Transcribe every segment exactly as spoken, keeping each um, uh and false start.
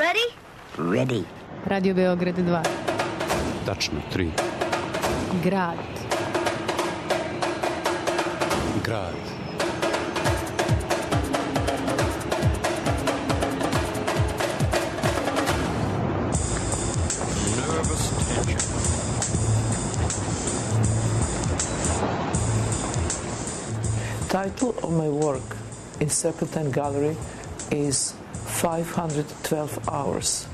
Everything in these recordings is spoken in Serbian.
Ready? Ready. Radio Beograd dva. Tačno, tri. Grad. Grad. Nervous tension. Title of my work in Serpentine Gallery is five hundred twelve hours.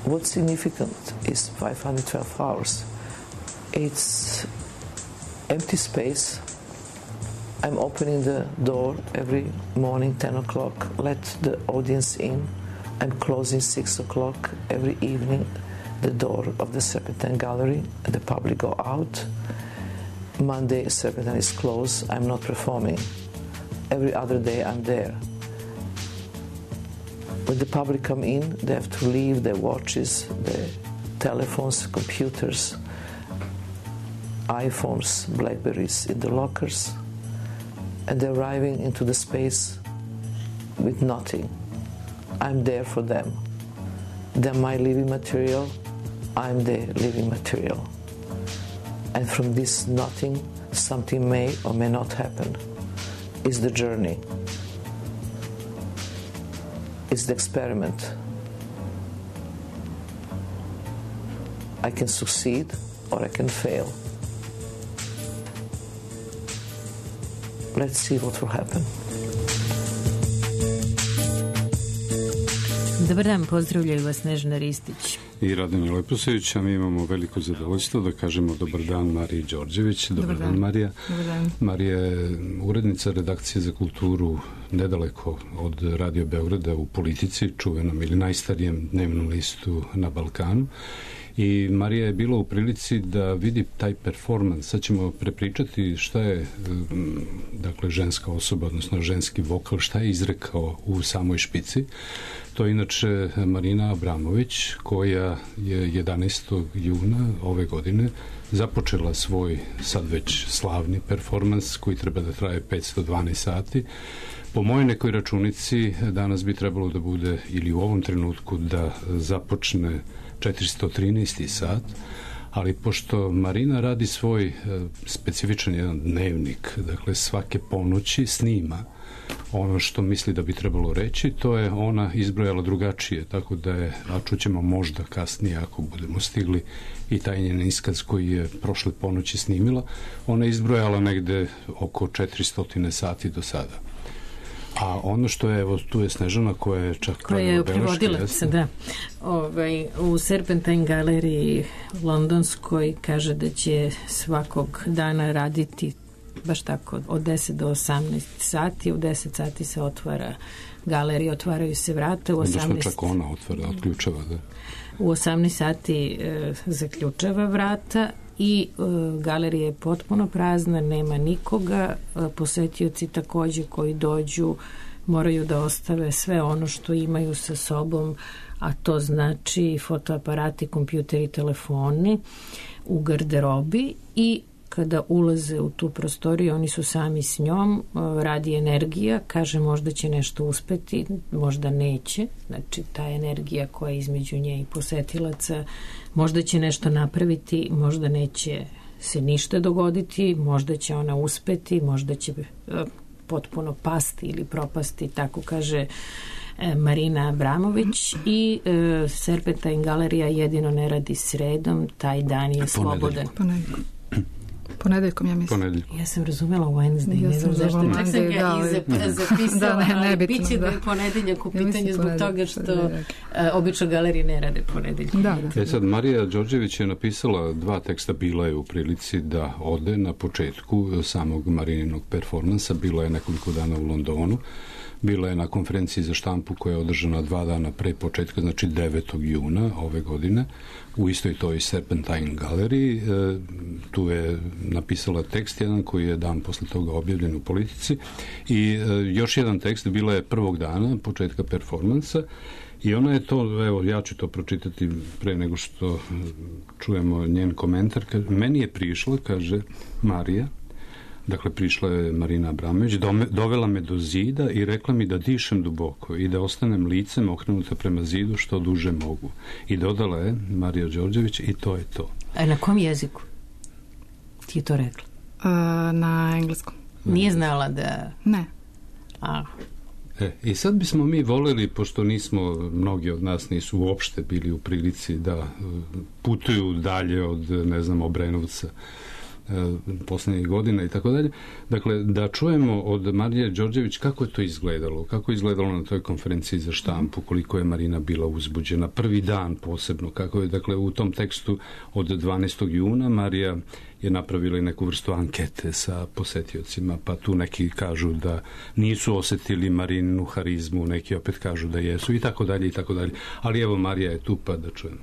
What's significant is five hundred twelve hours. It's empty space. I'm opening the door every morning, ten o'clock, let the audience in. I'm closing six o'clock every evening, the door of the Serpentine Gallery, and the public go out. Monday, Serpentine is closed, I'm not performing. Every other day I'm there. When the public come in, they have to leave their watches, their telephones, computers, iPhones, Blackberries in the lockers, and they're arriving into the space with nothing. I'm there for them. They're my living material, I'm their living material. And from this nothing, something may or may not happen. It's the journey. It's the experiment. I can succeed or I can fail. Let's see what will happen. Dobar dan, pozdravljaju vas Snežana Ristić i Radonja Leposević, a mi imamo veliko zadovoljstvo da kažemo dobar dan Mariji Đorđević. Dobar, dobar dan, dan Marija. Dobar dan. Marija je urednica redakcije za kulturu nedaleko od Radio Beograda u Politici, čuvenom ili najstarijem dnevnom listu na Balkanu. I Marija je bila u prilici da vidi taj performans. Sad ćemo prepričati šta je dakle ženska osoba, odnosno ženski vokal, šta je izrekao u samoj špici. To je inače Marina Abramović, koja je jedanaestog juna ove godine započela svoj sad već slavni performans koji treba da traje petsto dvanaest sati. Po mojoj nekoj računici danas bi trebalo da bude, ili u ovom trenutku da započne četiristo trinaesti sat, ali pošto Marina radi svoj e, specifičan jedan dnevnik, dakle svake ponoći snima ono što misli da bi trebalo reći, to je ona izbrojala drugačije, tako da je, a čućemo možda kasnije ako budemo stigli, i taj njen iskaz koji je prošle ponoći snimila, ona je izbrojala negde oko četiristo sati do sada. A ono što je, evo, tu je Snežana koja je čak koja je prevodilac, da. Ovaj, u Serpentine galeriji londonskoj kaže da će svakog dana raditi baš tako od deset do osamnaest sati. U deset sati se otvara galerija, otvaraju se vrata. U osamnaest Odnosno čak ona otvara, otključava, da. U osamnaest sati e, zaključava vrata i e, galerija je potpuno prazna, nema nikoga. E, posetioci takođe koji dođu moraju da ostave sve ono što imaju sa sobom, a to znači fotoaparati, kompjuteri, telefoni u garderobi, i kada ulaze u tu prostoriju, oni su sami s njom, radi energija, kaže možda će nešto uspeti, možda neće, znači ta energija koja je između nje i posetilaca, možda će nešto napraviti, možda neće se ništa dogoditi, možda će ona uspeti, možda će potpuno pasti ili propasti, tako kaže Marina Abramović. I e, Serpentine galerija jedino ne radi sredom, taj dan je slobodan. Ponedeljkom. Ponedeljkom, ja mislim. Ponedeljkom. Ja sam razumela Wednesday, ja ne znam zašto. Čak sam ga da, i zapisala, da, ne, ali nebitno, biće da je ponedeljak u pitanju ja zbog toga što uh, obično galerije ne rade ponedeljkom. Da, da. E sad, Marija Đorđević je napisala dva teksta, bila je u prilici da ode na početku samog Marininog performansa, bila je nekoliko dana u Londonu, bila je na konferenciji za štampu koja je održana dva dana pre početka, znači devetog juna ove godine, u istoj toj Serpentine galeriji. E, tu je napisala tekst jedan koji je dan posle toga objavljen u Politici, i e, još jedan tekst bila je prvog dana početka performansa, i ona je to, evo ja ću to pročitati pre nego što čujemo njen komentar. Meni je prišla, kaže Marija, Dakle, prišla je Marina Abramović, dovela me do zida i rekla mi da dišem duboko i da ostanem licem okrenuta prema zidu što duže mogu. I dodala je Marija Đorđević i to je to. A na kom jeziku ti je to rekla? Uh, na engleskom. Nije znala da... Ne. A... E, i sad bismo mi voleli, pošto nismo, mnogi od nas nisu uopšte bili u prilici da putuju dalje od, ne znam, Obrenovca poslednjih godina i tako dalje. Dakle, da čujemo od Marije Đorđević kako je to izgledalo, kako je izgledalo na toj konferenciji za štampu, koliko je Marina bila uzbuđena, prvi dan posebno, kako je, dakle, u tom tekstu od dvanaestog juna Marija je napravila i neku vrstu ankete sa posetiocima, pa tu neki kažu da nisu osetili Marinu harizmu, neki opet kažu da jesu i tako dalje i tako dalje. Ali evo, Marija je tu, pa da čujemo.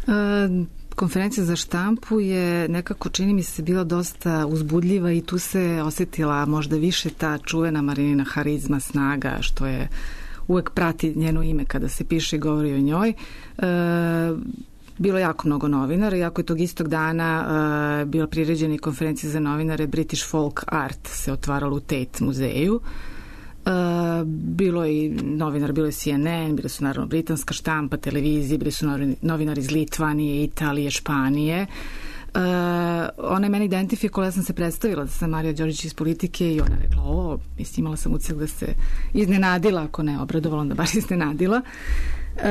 Uh, konferencija za štampu je nekako, čini mi se, bila dosta uzbudljiva i tu se osetila možda više ta čuvena Marinina harizma, snaga, što je uvek prati njeno ime kada se piše i govori o njoj. Uh, bilo jako mnogo novinara, iako je tog istog dana uh, bila priređena i konferencija za novinare British Folk Art se otvarala u Tate muzeju. Uh, bilo je i novinar, bilo je C N N, bili su naravno britanska štampa, televizije, bili su novinari iz Litvanije, Italije, Španije. Uh, ona je meni identifikovala, ja sam se predstavila da sam Marija Đorđević iz Politike i ona je rekla, o, mislim, imala sam utisak da se iznenadila, ako ne obradovala, onda baš iznenadila. Uh,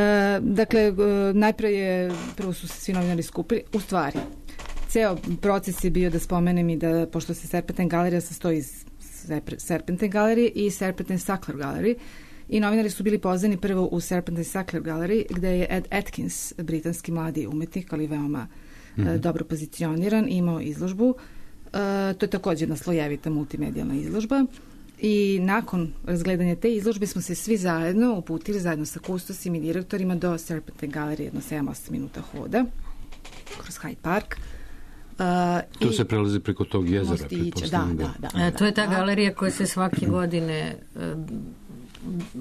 dakle, uh, najpre je, prvo su se svi novinari skupili, u stvari, ceo proces je bio, da spomenem i da, pošto se Serpentine galerija sastoji iz Serpentine galerije i Serpentine Sackler galerije i novinari su bili pozvani prvo u Serpentine Sackler galeriji gde je Ed Atkins, britanski mladi umetnik, ali veoma mm-hmm. uh, dobro pozicioniran, imao izložbu. Uh, to je takođe jedna slojevita multimedijalna izložba i nakon razgledanja te izložbe smo se svi zajedno uputili zajedno sa kustosima i direktorima do Serpentine galerije, jedno sedam osam minuta hoda kroz Hyde Park. Uh, to se prelazi preko tog jezera. Da, da, da, da. E, to je ta galerija koja se svake godine uh,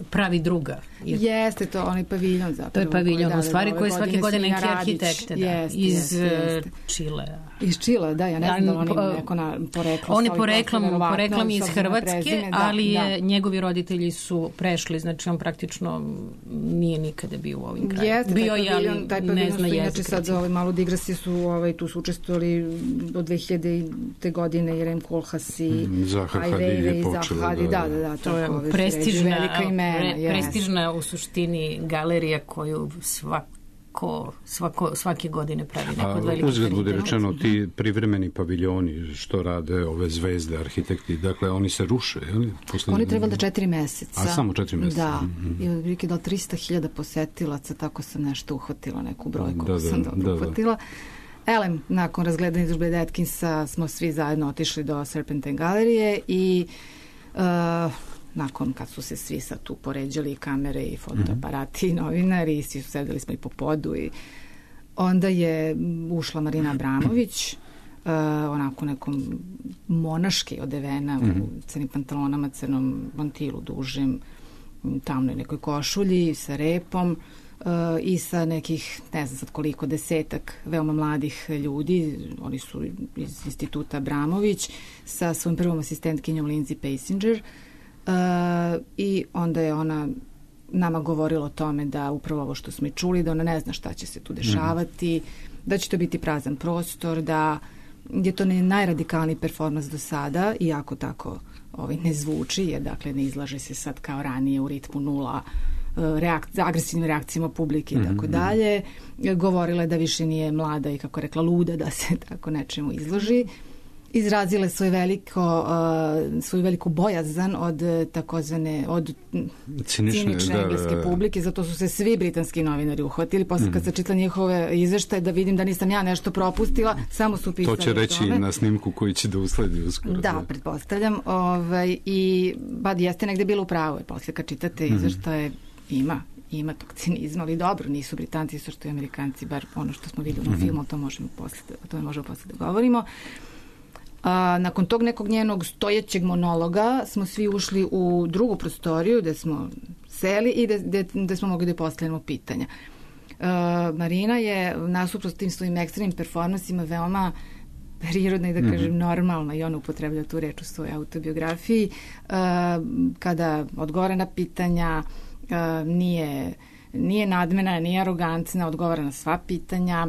pravi druga. Jeste to, onaj paviljon zapravo. To je paviljon, u stvari koji svake godine neki arhitekte da, jest, iz jest, Čilea. Iz Čilea, da, ja ne znam da oni neko na poreklo. On je poreklom, poreklom iz Hrvatske, prezime, da, ali je, da. Njegovi roditelji su prešli, znači on praktično nije nikada bio u ovim krajima. Jeste, bio je, ali taj ne zna jezik. Inače sad za ovaj malu digresiju su, ovaj, tu su učestvovali do dve hiljadite godine Jerem Kolhas i Zaha Hadid je počela. Da, da, da, to je prestižna, imena, prestižna u suštini galerija koju svako Svako, svake godine pravi neko od velikih. Uzgled bude rečeno, ti privremeni paviljoni što rade ove zvezde, arhitekti, dakle oni se ruše, je Posle... Oni trebali da četiri meseca. A samo četiri meseca. Da, mm-hmm. i otprilike da trista hiljada posetilaca, tako sam nešto uhvatila, neku brojku da, da, sam dobro da, uhvatila. Da. Elem, nakon razgledanja izložbe Ed Atkinsa smo svi zajedno otišli do Serpentine galerije i uh, nakon kad su se svi sad tu poređali i kamere i fotoaparati mm-hmm. i novinari i svi su sedeli smo i po podu i onda je ušla Marina Abramović uh, onako nekom monaški odevena mm-hmm. u crnim pantalonama, crnom mantilu dužim, tamnoj nekoj košulji sa repom uh, i sa nekih, ne znam sad koliko, desetak veoma mladih ljudi, oni su iz instituta Abramović sa svojim prvom asistentkinjom Lindsay Passinger. Uh, i onda je ona nama govorila o tome da upravo ovo što smo i čuli, da ona ne zna šta će se tu dešavati, mm-hmm. da će to biti prazan prostor, da je to ne najradikalniji performans do sada, iako tako ovaj, ne zvuči, jer dakle ne izlaže se sad kao ranije u ritmu nula reak- agresivnim reakcijama publike i mm-hmm. tako dalje. Govorila je da više nije mlada i kako rekla luda da se tako nečemu izloži. Izrazile svoje veliko, uh, svoju veliku bojazan od takozvane, od cinične, cinične da, engleske publike, zato su se svi britanski novinari uhvatili. Posle mm. kad se čitla njihove izveštaje da vidim da nisam ja nešto propustila, samo su pisali. To će reći i na snimku koji će da usledi uskoro. Da, da. pretpostavljam. Ovaj, I bad jeste negde bilo u pravu, jer posle kad čitate mm. izveštaje ima ima tog cinizma, ali dobro, nisu Britanci, su što i Amerikanci, bar ono što smo videli mm. u filmu, to možemo posle, o tome možemo posle da govorimo. A, nakon tog nekog njenog stojećeg monologa smo svi ušli u drugu prostoriju gde smo seli i gde smo mogli da postavljamo pitanja. A, Marina je nasuprot tim svojim ekstremnim performansima veoma prirodna i da kažem mm-hmm. normalna, i ona upotreblja tu reč u svojoj autobiografiji, uh, kada odgovara na pitanja, uh, nije, nije nadmena, nije arogantna, odgovara na sva pitanja,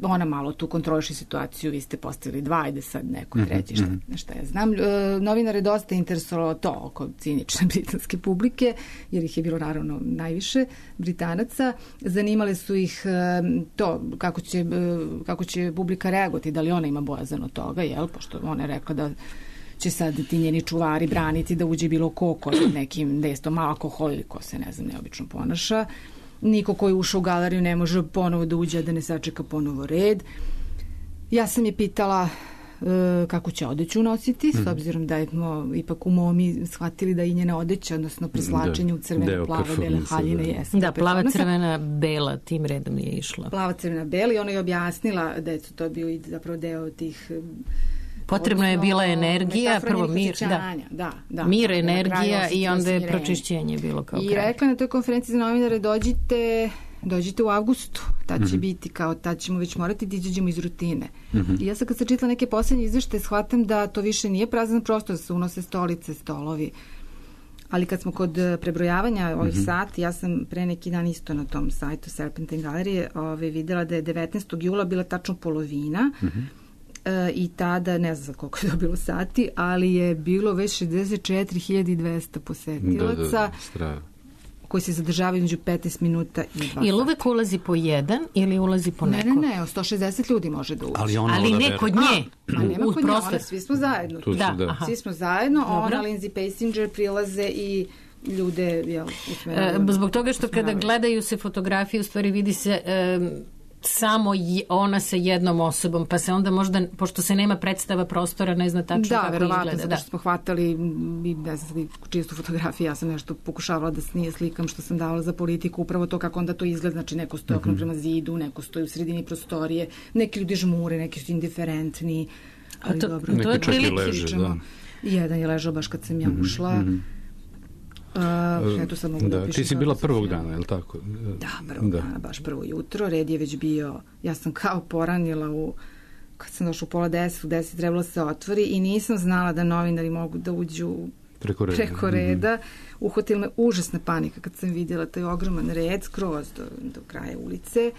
ona malo tu kontroliše situaciju, vi ste postavili dva, ajde sad neko treći, šta, šta ja znam. E, novinar je dosta interesovalo to oko cinične britanske publike, jer ih je bilo naravno najviše Britanaca. Zanimale su ih e, to kako će, e, kako će publika reagovati, da li ona ima bojazan od toga, jel? Pošto ona je rekla da će sad ti njeni čuvari braniti da uđe bilo ko ko nekim destom alkohol ili ko se, ne znam, neobično ponaša. Niko koji je ušao u galeriju ne može ponovo da uđe, da ne sačeka ponovo red. Ja sam je pitala e, kako će odeću nositi, mm. s obzirom da smo ipak u Momi shvatili da i njena odeća, odnosno preslačenje u crvene, plave, bele haljine da. jeste. Da, plava, crvena, bela, tim redom je išla. Plava, crvena, bela, i ona je objasnila da je to bio i zapravo deo tih... Potrebno je bila energija, prvo mir, da. Da, da. Mir, energija i onda je pročišćenje bilo kao I kraj. I rekla na toj konferenciji za novinare, dođite, dođite u avgustu, tad će mm-hmm. biti kao, tad ćemo već morati da izađemo iz rutine. Mm-hmm. I ja sad kad sam čitala neke poslednje izveštaje, shvatam da to više nije prazan prostor, da se unose stolice, stolovi. Ali kad smo kod prebrojavanja ovih mm-hmm. sati, ja sam pre neki dan isto na tom sajtu Serpentine galerije ove, videla da je devetnaestog jula bila tačno polovina, mm-hmm. i tada, ne znam koliko je to bilo sati, ali je bilo već šezdeset četiri hiljade dvesta posetilaca da, da, koji se zadržavaju među petnaest minuta i dva sata. Ili uvek ulazi po jedan ili ulazi po neko? Ne, ne, ne, sto šezdeset ljudi može da uđe. Ali, ona ali ne kod nje. A, a nema kod nje, ona, svi smo zajedno. Tu da, da. Svi smo zajedno, ona, Lindsay Passinger prilaze i ljude, jel, usmeravaju. E, zbog toga što kada gledaju se fotografije, u stvari vidi se... E, samo ona sa jednom osobom, pa se onda možda, pošto se nema predstava prostora, ne zna tačno da, kako izgleda. Da, verovatno, zato što smo hvatali i ne znam, čistu fotografiju, ja sam nešto pokušavala da snije slikam što sam davala za politiku, upravo to kako onda to izgleda, znači neko stoji okno mm-hmm. prema zidu, neko stoji u sredini prostorije, neki ljudi žmure, neki su indiferentni, ali to, dobro. To je prilike. Da. Jedan je ležao baš kad sam ja ušla. Mm-hmm. Uh, eto sad mogu da, da ti si bila prvog dana, je li tako? Da, prvog da. dana, baš prvo jutro. Red je već bio, ja sam kao poranila u, kad sam došla u pola deset, u deset trebalo se otvori i nisam znala da novinari mogu da uđu preko reda. Preko reda. Mm-hmm. Uhvatila me užasna panika kad sam vidjela taj ogroman red skroz do, do kraja ulice,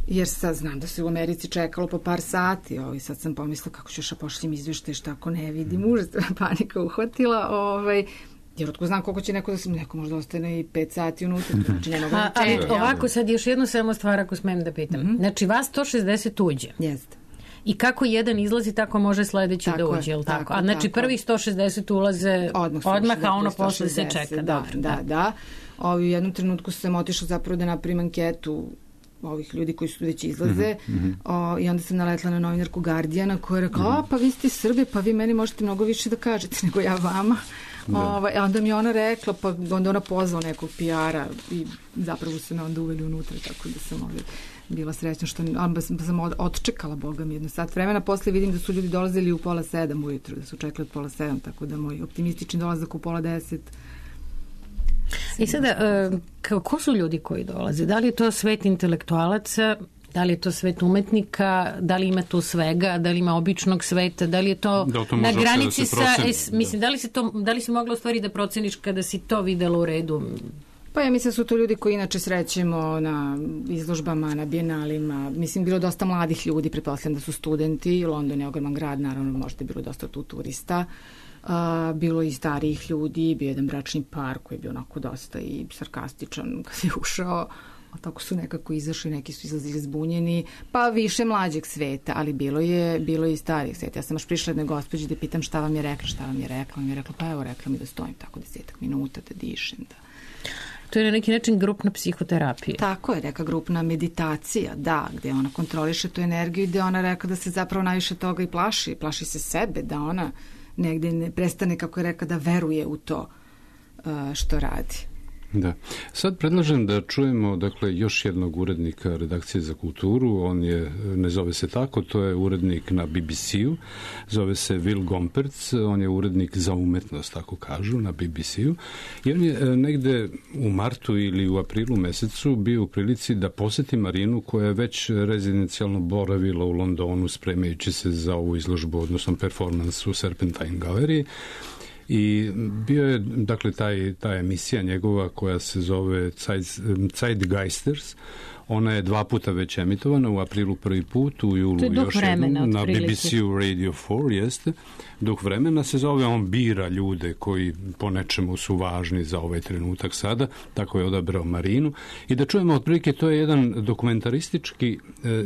jer sad znam da se u Americi čekalo po par sati, ovaj, sad sam pomislila kako ću još pošljem izveštaj, šta ako ne vidim, mm-hmm. užasna panika uhvatila, ovaj, jer otko znam koliko će neko da se, neko možda ostane i pet sati unutra, znači nema A, ali ovako sad još jednu samo stvar ako smem da pitam. Mm-hmm. Znači vas sto šezdeset uđe. Jeste. I kako jedan izlazi, tako može sledeći tako da uđe, je li tako? tako? A znači tako. Prvih sto šezdeset ulaze odmah, odmah a ono posle se čeka. Da, dobro, da, da. da. Ovi, u jednom trenutku sam otišla zapravo da napravim anketu ovih ljudi koji su već izlaze mm-hmm. o, i onda sam naletla na novinarku Guardiana koja je rekla, mm-hmm. a pa vi ste Srbe, pa vi meni možete mnogo više da kažete nego ja vama. Da. Ovaj, onda mi je ona rekla, pa onda ona pozvala nekog P R-a i zapravo se me onda uveli unutra, tako da sam ovaj, bila srećna što onda sam, sam odčekala, boga mi, jedno sat vremena. Posle vidim da su ljudi dolazili u pola sedam ujutru, da su čekali od pola sedam, tako da moj optimistični dolazak u pola deset. I sada, uh, ko su ljudi koji dolaze? Da li je to svet intelektualaca, da li je to svet umetnika, da li ima tu svega, da li ima običnog sveta, da li je to, da to na granici da sa, es, mislim, da li, se to, da li si mogla u stvari da proceniš kada si to videla u redu? Pa ja mislim da su to ljudi koji inače srećemo na izložbama, na bijenalima. Mislim, bilo dosta mladih ljudi, pretpostavljam da su studenti, London je ogroman grad, naravno možda je bilo dosta tu turista. Uh, bilo i starijih ljudi, bio jedan bračni par koji je bio onako dosta i sarkastičan kad je ušao, a tako su nekako izašli, neki su izlazili zbunjeni, pa više mlađeg sveta, ali bilo je, bilo je i starijih sveta. Ja sam još prišla jednoj gospođi da pitam šta vam je rekla, šta vam je rekla, on mi je rekla, pa evo rekla mi da stojim tako desetak minuta, da dišem, da... To je na neki način grupna psihoterapija. Tako je, neka grupna meditacija, da, gde ona kontroliše tu energiju i gde ona rekla da se zapravo najviše toga i plaši, plaši se sebe, da ona negde ne prestane, kako je rekla, da veruje u to uh, što radi. Da. Sad predlažem da čujemo dakle još jednog urednika redakcije za kulturu. On je, ne zove se tako, to je urednik na B B C-u, zove se Will Gompertz, on je urednik za umetnost, tako kažu, na B B C-u. I on je negde u martu ili u aprilu mesecu bio u prilici da poseti Marinu, koja je već rezidencijalno boravila u Londonu spremajući se za ovu izložbu, odnosno performans u Serpentine galeriji. I bio je, dakle, taj, ta emisija njegova koja se zove Zeitgeisters. Ona je dva puta već emitovana, u aprilu prvi put, u julu još jednom, na B B C-u Radio četiri, jeste. Duh vremena se zove, on bira ljude koji po nečemu su važni za ovaj trenutak sada, tako je odabrao Marinu. I da čujemo otprilike, to je jedan dokumentaristički e,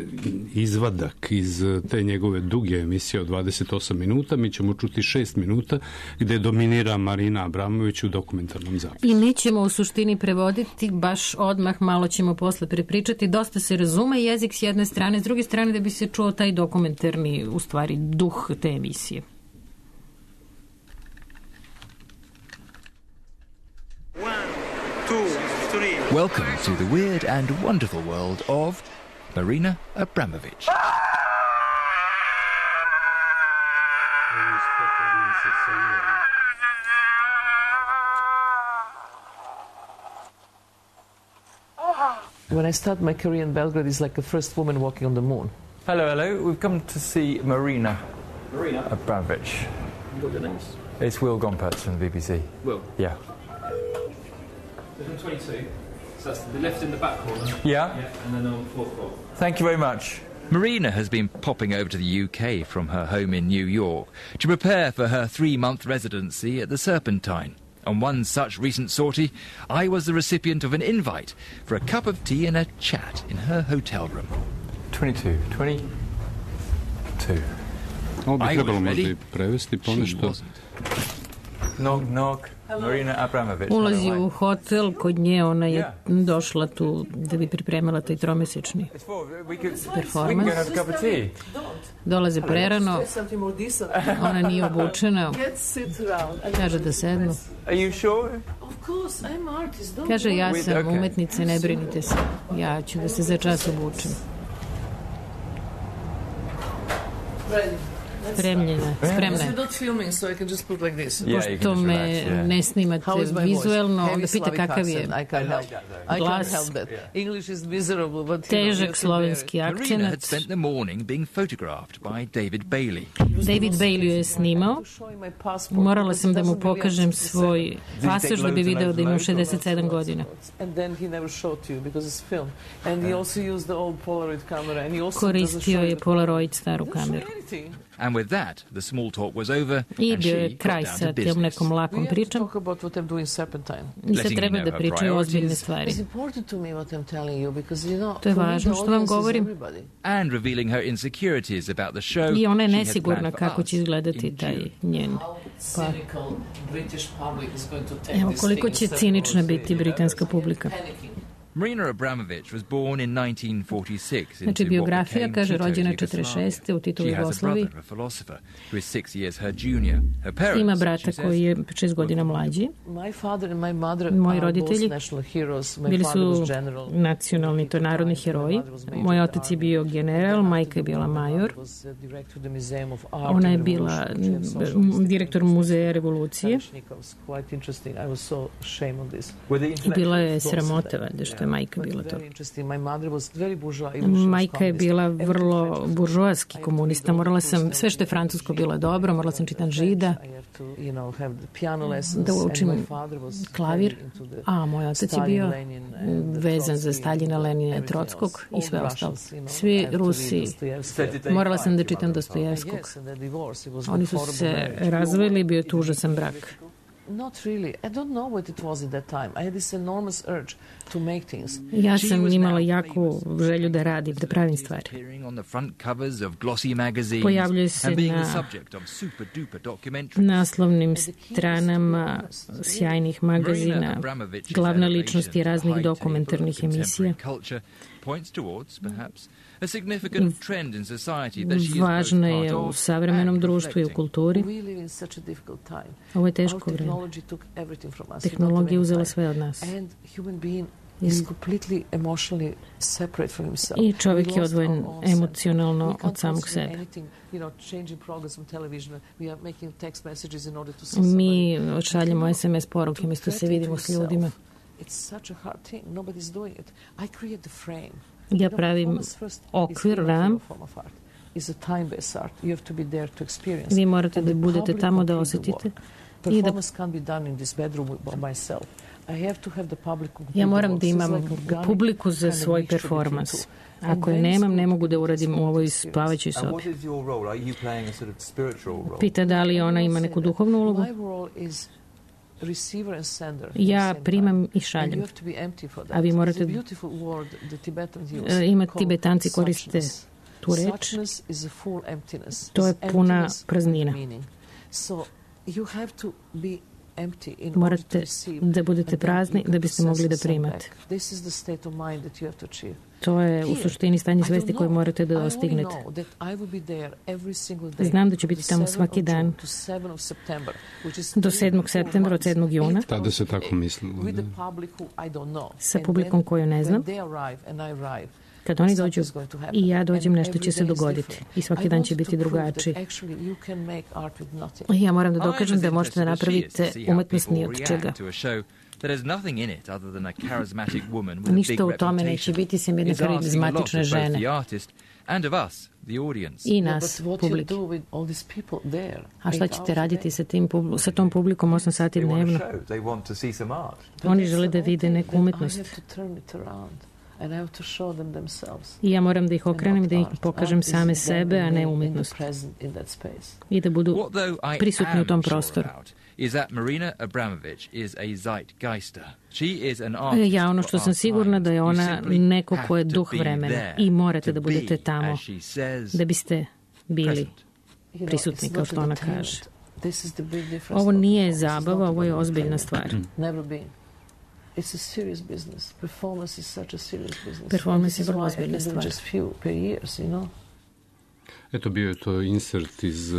izvadak iz te njegove duge emisije od dvadeset osam minuta. Mi ćemo čuti šest minuta gde dominira Marina Abramović u dokumentarnom zapisu. I nećemo u suštini prevoditi baš odmah, malo ćemo posle prepričati. Dosta se razume jezik s jedne strane, s druge strane da bi se čuo taj dokumentarni, u stvari, duh te emisije. Welcome to the weird and wonderful world of Marina Abramović. When I started my career in Belgrade, it's like the first woman walking on the moon. Hello, hello. We've come to see Marina. Marina Abramović. What are your names? It's Will Gompertz from the B B C. Will? Yeah. There's twenty-two. So that's the left in the back corner. Yeah? Yeah, and then on the fourth floor. Thank you very much. Marina has been popping over to the U K from her home in New York to prepare for her three-month residency at the Serpentine. On one such recent sortie, I was the recipient of an invite for a cup of tea and a chat in her hotel room. twenty-two. twenty-two. Ovo bi trebalo možda i prevesti ponešto. Knock, knock. Marina Abramović. Ulazi u hotel, kod nje ona je došla tu da bi pripremala taj tromesečni performans. Dolaze prerano, ona nije obučena, kaže da sednu. Kaže, ja sam umetnica, ne brinite se, ja ću da se za čas obučem. Spremljena, spremna. Pošto me ne snimate vizuelno, onda pita kakav je glas, težak slovenski akcenat. David Bailey je snimao. Morala sam da mu pokažem svoj pasoš da bi video da imam šezdeset sedam godina. Koristio je Polaroid staru kameru. And with that, the small talk was over, I bio je kraj sa tim nekom lakom pričom. I sad treba da pričaju ozbiljne stvari. To je važno što vam govorim. And revealing her insecurities about the show. I ona je nesigurna kako će izgledati taj njen pa. Evo koliko će cinična biti britanska publika. Marina Abramović was born in nineteen forty-six. Znači, biografija kaže rođena četrdeset šeste u Titovoj Jugoslaviji. Ima brata koji je šest godina mlađi. Moji roditelji bili su nacionalni, to narodni heroji. Moj otac je bio general, majka je bila major. Ona je bila direktor muzeja revolucije. I bila je sramota, valjda, što je majka bila to. Majka je bila vrlo buržoaski komunista. Morala sam, sve što je francusko bilo dobro, morala sam čitam Žida, da učim klavir, a moj otac je bio vezan za Staljina, Lenina, Trockog i sve ostalo. Svi Rusi, morala sam da čitam Dostojevskog. Oni su se razvojili, bio je tu užasan brak. Not really. I don't know what it was at that time. I had this enormous urge to make things. Ja sam imala jaku želju da radim, da pravim stvari. Pojavljuje se na naslovnim stranama sjajnih magazina, glavna ličnosti raznih dokumentarnih emisija. Važna je u savremenom društvu i u kulturi. Ovo je teško vreme. Tehnologija uzela sve od nas. I čovjek je odvojen emocionalno od samog sebe. Mi odšaljemo es em es poruke umjesto se vidimo s ljudima. Ja pravim okvir, ram. Vi morate da budete tamo da osjetite. I da... Ja moram da imam publiku za svoj performans. Ako je nemam, ne mogu da uradim u ovoj spavajućoj sobi. Pita da li ona ima neku duhovnu ulogu. Ja primam i šaljem. A vi morate... Ima Tibetanci koriste tu reč. To je puna praznina. Morate da budete prazni da biste mogli da primate. To je u suštini stanje svesti koje morate da dostignete. Znam da ću biti tamo svaki dan do sedmog septembra, od sedmog juna. Tada se tako mislilo. Sa publikom koju ne znam. Kad oni dođu i ja dođem, nešto će se dogoditi. I svaki dan će biti drugačiji. Ja moram da dokažem da možete da napravite umetnost ni od čega. Ništa u tome neće biti sem jedne karizmatične žene. I nas, publike. A šta ćete raditi sa, tim, sa tom publikom osam sati dnevno? Oni žele da vide neku umetnost. I ja moram da ih okrenem i da ih pokažem same sebe, a ne umetnost. I da budu prisutni u tom prostoru. Ja ono što sam sigurna da je ona neko ko je duh vremena i morate da budete tamo da biste bili prisutni, kao što ona kaže. Ovo nije zabava, ovo je ozbiljna stvar. It's a serious business. Performance is such a serious business. Performance je vrlo ozbiljna stvar. Just few per years, you know. Eto, bio je to insert iz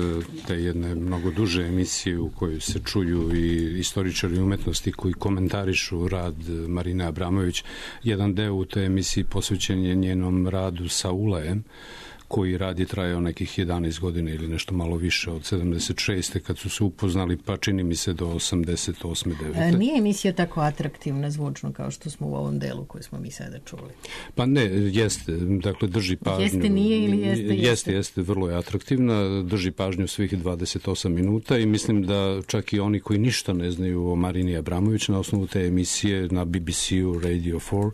te jedne mnogo duže emisije u kojoj se čuju i istoričari umetnosti koji komentarišu rad Marine Abramović. Jedan deo u toj emisiji posvećen je njenom radu sa Ulajem, koji rad je trajao nekih jedanaest godina ili nešto malo više od sedamdeset šeste kad su se upoznali, pa čini mi se do osamdeset osme devete Nije emisija tako atraktivna zvučno kao što smo u ovom delu koji smo mi sada čuli. Pa ne, jeste, dakle drži pažnju. Jeste, nije ili jeste? Jeste, jeste, jeste vrlo je atraktivna, drži pažnju svih dvadeset osam minuta i mislim da čak i oni koji ništa ne znaju o Marini Abramović na osnovu te emisije na B B C-u, Radio four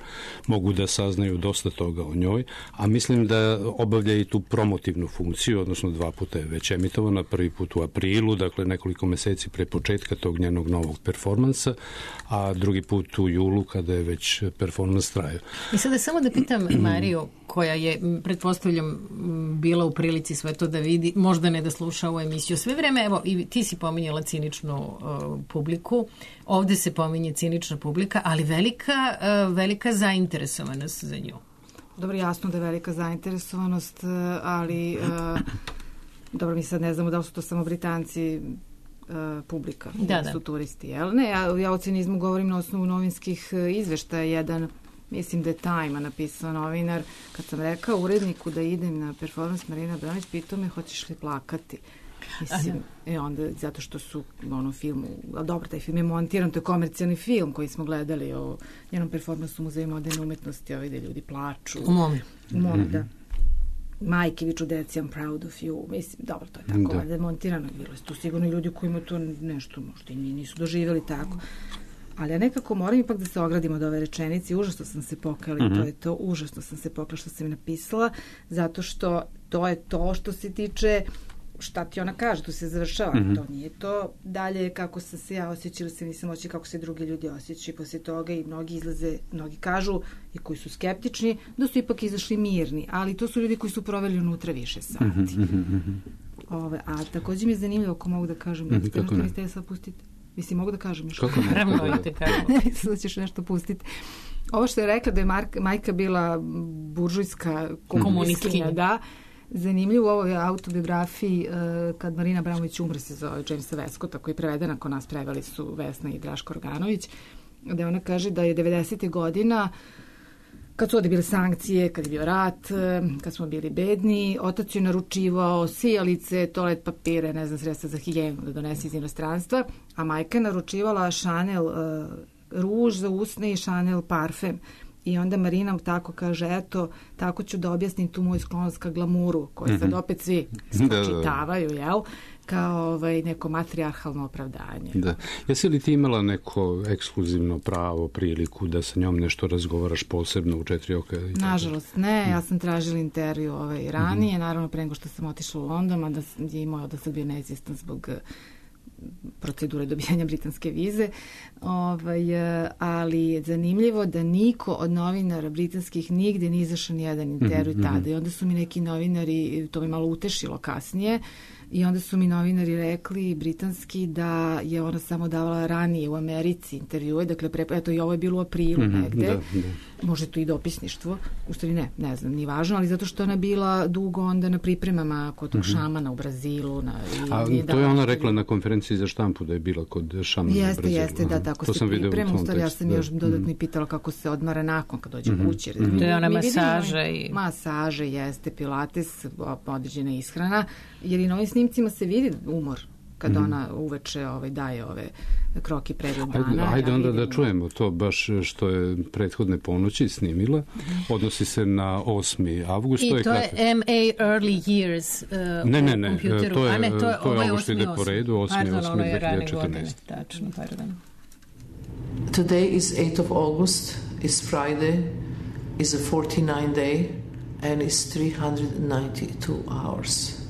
mogu da saznaju dosta toga o njoj, a mislim da obavlja i tu promotivnu funkciju, odnosno dva puta je već emitovana, prvi put u aprilu, dakle nekoliko meseci pre početka tog njenog novog performansa, a drugi put u julu kada je već performans trajao. I sada samo da pitam Mariju, koja je, pretpostavljam, bila u prilici sve to da vidi, možda ne da sluša ovu emisiju. Sve vreme, evo, i ti si pominjala ciničnu uh, publiku, ovde se pominje cinična publika, ali velika, uh, velika zainteresovanost za nju. Dobro, jasno da je velika zainteresovanost, ali uh, dobro, mi sad ne znamo da li su to samo Britanci uh, publika, da, da su da. turisti, jel? Ne, ja, ja o cinizmu govorim na osnovu novinskih izveštaja. Jedan, mislim da je Time napisao novinar, kad sam rekao uredniku da idem na performans Marina Abramović, pitao me hoćeš li plakati. Mislim, e onda, zato što su ono filmu, ali dobro, taj film je montiran, to je komercijalni film koji smo gledali o njenom performansu u Muzeju moderne umetnosti, ovaj da ljudi plaču. U Momi. U Momi, da. Majke viču deci, I'm proud of you. Mislim, dobro, to je tako, da je montirano. Bilo je tu sigurno ljudi kojima to nešto možda i nisu doživjeli tako. Ali ja nekako moram ipak da se ogradim od ove rečenice. Užasno sam se pokala i to je to. Užasno sam se pokala što sam mi napisala, zato što to je to što se tiče šta ti ona kaže, tu se završava. Mm-hmm. To nije to dalje kako sam se ja osjećala, se nisam osjećala kako se drugi ljudi osjećaju posle toga i mnogi izlaze, mnogi kažu i koji su skeptični da su ipak izašli mirni, ali to su ljudi koji su proveli unutra više sati. Mm-hmm. Ove, a također mi je zanimljivo ako mogu da kažem, mm-hmm. nešto što mi ste sad pustiti. Mislim, mogu da kažem još. Kako naravno, te kažem. Sada ćeš nešto pustiti. Ovo što je rekla da je Mark, majka bila buržujska komunistkinja, da, zanimljivo u ovoj autobiografiji kad Marina Abramović umre, se zove Jamesa Westcotta, koji je prevedena kod nas, preveli su Vesna i Draško Organović, da ona kaže da je devedesetih godina, kad su ovdje bile sankcije, kad je bio rat, kad smo bili bedni, otac je naručivao sijalice, toalet papire, ne znam, sredstva za higijenu da donese iz inostranstva, a majka je naručivala Chanel uh, ruž za usne i Chanel parfem. I onda Marina tako kaže, eto, tako ću da objasnim tu moju sklonost ka glamuru, koju sad opet svi spočitavaju, jel? Kao ovaj, neko matrijarhalno opravdanje. Da. Jesi li ti imala neko ekskluzivno pravo, priliku da sa njom nešto razgovaraš posebno u Četiri oka? Nažalost ne, ja sam tražila intervju ovaj, ranije, naravno pre nego što sam otišla u London, a da je imao da sam bio neizvjestan zbog procedure dobijanja britanske vize, ovaj, ali je zanimljivo da niko od novinara britanskih nigde nije izašao ni jedan intervju mm-hmm. tada. I onda su mi neki novinari, to mi malo utešilo kasnije, i onda su mi novinari rekli, britanski, da je ona samo davala ranije u Americi intervjue, dakle, pre, eto, i ovo je bilo u aprilu mm-hmm, negde, da, da. Može to i dopisništvo, u stvari ne, ne znam, ni važno, ali zato što ona bila dugo onda na pripremama kod tog mm-hmm. šamana u Brazilu. Na, i, A i to je ona rekla na konferenciji za štampu da je bila kod šamana jeste, u Brazilu. Jeste, da, tako to se priprema, u stvari ja sam da. još dodatno i pitala kako se odmara nakon kad dođe mm-hmm. kući. Mm-hmm. To je ona masaža i... Masaže, jeste, pilates, određena ishrana, jer i na ovim snimcima se vidi umor kad mm-hmm. ona uveče ovaj, daje ove kroki pregled dana. Ajde, ajde ja onda da čujemo to baš što je prethodne ponoći snimila. Mm-hmm. Odnosi se na osmi avgust. I to je, to je M A Early Years uh, ne, ne, ne, u kompjuteru. to je, A ne, to je, to je ovo je ovo što ide po redu, osmi osmi dve hiljade četrnaeste. Tačno, pardon. Today is eighth of August, is Friday, is a forty-nine day and is three hundred ninety-two hours.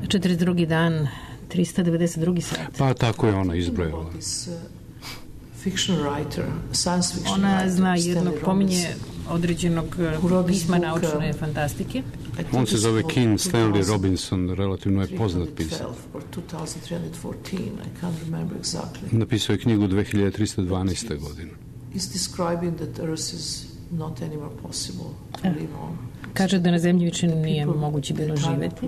četrdeset drugi dan, tristo devedeset drugi sat. Pa tako je ona izbrojala. Ona zna jednog, pominje određenog pisma naučne fantastike. On se zove King Stanley Robinson, relativno je poznat pisac. Napisao je knjigu dve hiljade tristo dvanaeste. godine. Kaže da na zemlji više nije moguće bilo živeti